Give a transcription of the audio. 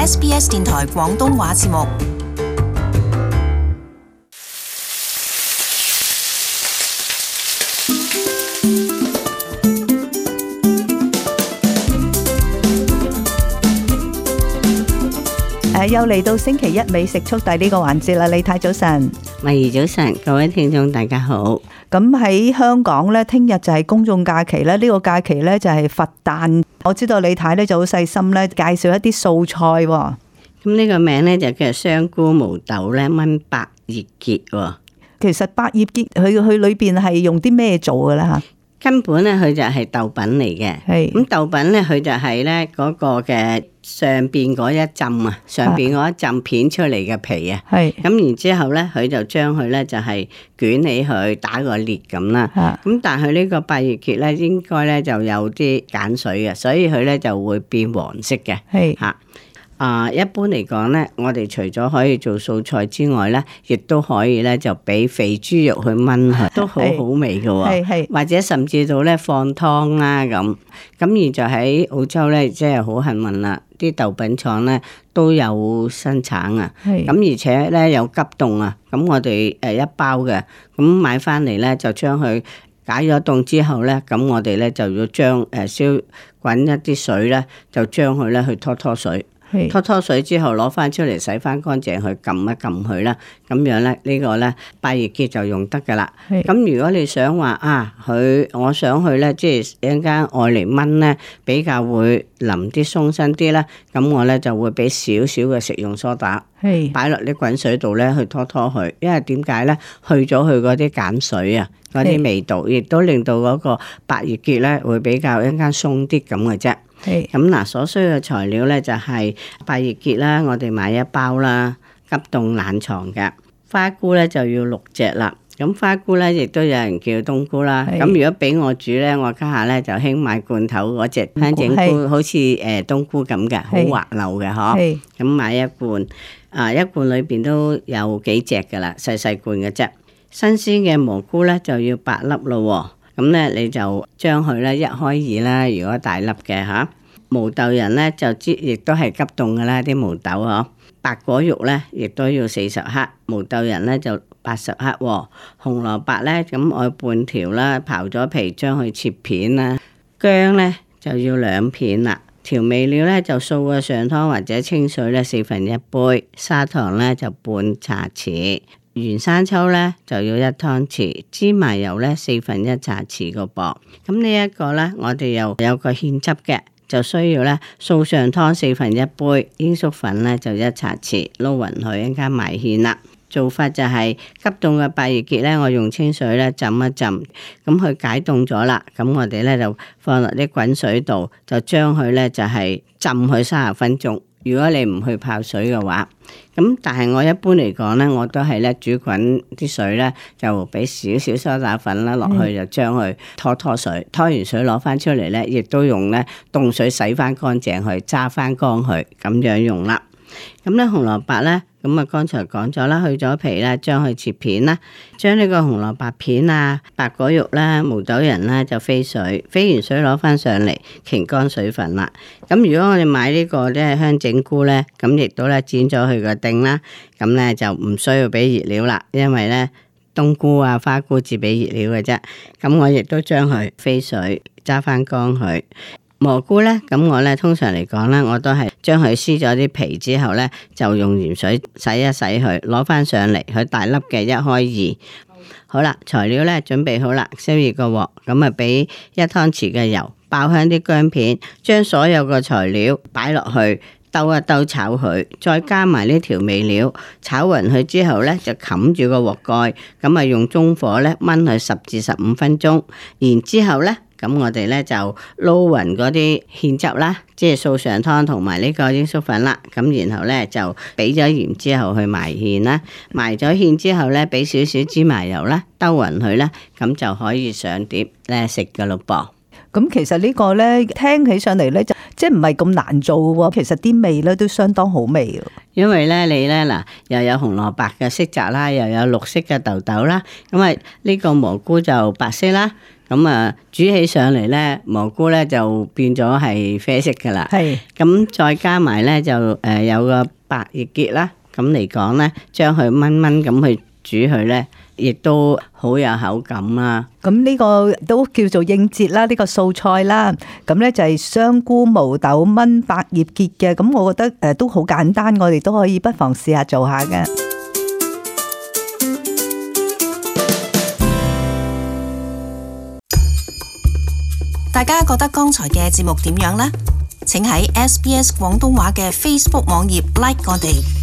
SBS 電台廣東話節目。又嚟到星期一美食速遞呢個環節啦，李太早晨，慧怡早晨，各位聽眾大家好。咁喺香港咧，聽日就係公眾假期咧，呢個假期咧就係佛誕。我知道李太咧就好細心咧，介紹一啲素菜。咁呢個名咧就叫香菇毛豆咧炆百葉結。其實百葉結佢裏邊係用啲咩做嘅咧吓？根本咧佢就係豆品嚟嘅。係咁豆品咧佢就係咧嗰個嘅上邊嗰一浸啊，上邊嗰一浸片出嚟嘅皮啊。係咁然之後咧，佢就將佢咧就係捲起佢打個裂咁啦。咁但係呢個百葉結咧應該咧就有啲鹼水嘅，所以佢咧就會變黃色嘅。係嚇。一般嚟講咧，我哋除咗可以做素菜之外咧，亦都可以咧就俾肥豬肉去炆佢，都好好味嘅喎。係或者甚至到咧放湯啦咁。咁而就喺澳洲咧，即係好幸運啦，啲豆品廠咧都有生產啊。咁而且咧有急凍啊。咁我哋一包嘅，咁買翻嚟咧就將佢解咗凍之後咧，咁我哋咧就要將燒滾一啲水咧，就將佢咧去拖水。拖水之後攞翻出嚟洗翻乾淨，去撳一撳佢啦，咁樣咧呢個咧百葉結就用得噶啦。咁如果你想話我想去咧，即係一陣間愛嚟炆咧，比較會腍啲鬆身啲咧，咁我咧就會俾少少嘅食用梳打，擺落啲滾水度咧去拖佢，因為點解咧？去咗佢嗰啲鹼水啊，嗰啲味道，亦都令到嗰個百葉結咧會比較一陣間鬆啲咁嘅啫。咁嗱，所需嘅材料咧就係百葉結啦，我哋買一包啦，急凍冷藏嘅花菇咧就要6隻啦。咁花菇咧亦都有人叫冬菇啦。咁如果俾我煮咧，我家下咧就興買罐頭嗰隻香整菇，好似冬菇咁嘅，好滑溜嘅嗬。咁買一罐，一罐裏邊都有幾隻噶啦，細細罐嘅啫。新鮮嘅蘑菇咧就要8粒咯。咁咧你就將佢咧一開二啦，如果大粒嘅吓，毛豆仁咧就亦都係急凍噶啦，啲毛豆嗬。白果肉咧亦都要40克，毛豆仁咧就80克。紅蘿蔔咧咁我半條啦，刨咗皮將佢切片啦。薑咧就要2片啦。調味料咧就素嘅上湯或者清水咧1/4杯，砂糖咧就半茶匙。原生抽咧就要1湯匙，芝麻油咧1/4茶匙個噃。咁呢一個咧，我哋又有個芡汁嘅，就需要咧素上湯1/4杯，鷹粟粉咧就1茶匙，撈勻佢一陣間埋芡啦。做法就係急凍嘅百葉結咧，我用清水咧浸一浸，咁佢解凍咗啦，咁我哋咧就放落啲滾水度，就將佢咧就係浸佢30分鐘。如果你唔去泡水嘅話，咁但係我一般嚟講咧，我都係咧煮滾啲水咧，就俾少少梳打粉啦落去，就將佢拖水，拖完水攞翻出嚟咧，亦都用咧凍水洗翻乾淨去，揸翻乾去，咁樣用啦。咁咧紅蘿蔔咧，咁啊剛才講咗啦，去咗皮啦，將佢切片啦，將呢個紅蘿蔔片啊、白果肉啦、毛豆仁啦就飛水，飛完水攞翻上嚟，擎乾水分啦。咁如果我哋買呢個咧香整菇咧，咁亦都咧剪咗佢個丁啦，咁咧就唔需要俾熱料啦，因為咧冬菇啊、花菇只俾熱料嘅啫。咁我亦都將佢飛水，揸翻乾佢。蘑菇咧，咁我咧通常嚟講咧，我都係將佢撕咗啲皮之後咧，就用鹽水洗一洗佢，攞翻上嚟，佢大粒嘅1開2。好啦，材料咧準備好啦，燒熱個鑊，咁啊俾1湯匙嘅油，爆香啲薑片，將所有嘅材料擺落去，兜一兜炒佢，再加埋呢調味料，炒勻佢之後咧，就冚住個鑊蓋，咁啊用中火咧燜佢10至15分鐘，然之後咧。咁我哋咧就撈勻嗰啲芡汁啦，即係素上湯同埋呢個鷹粟粉啦。咁然後咧就俾咗鹽之後去埋芡啦，埋咗芡之後咧俾少少芝麻油啦，兜勻佢啦，咁就可以上碟咧食噶咯噃。咁其實呢個咧聽起上嚟咧就即係唔係咁難做喎，其實啲味咧都相當好味。因為咧你咧嗱又有紅蘿蔔嘅色澤啦，又有綠色嘅豆豆啦，咁啊呢個蘑菇就白色啦，咁啊煮起上嚟咧蘑菇咧就變咗係啡色噶啦。係，咁再加埋咧就有個百葉結啦，咁嚟講咧將佢炆炆咁去煮佢咧，亦都好有口感啦。咁呢個都叫做應節啦，呢個素菜啦。咁咧就係香菇、毛豆炆百葉結嘅。咁我覺得都好簡單，我哋都可以不妨試下做下嘅。大家覺得剛才嘅節目點樣呢？請喺SBS 廣東話嘅 Facebook 網頁 like 我哋。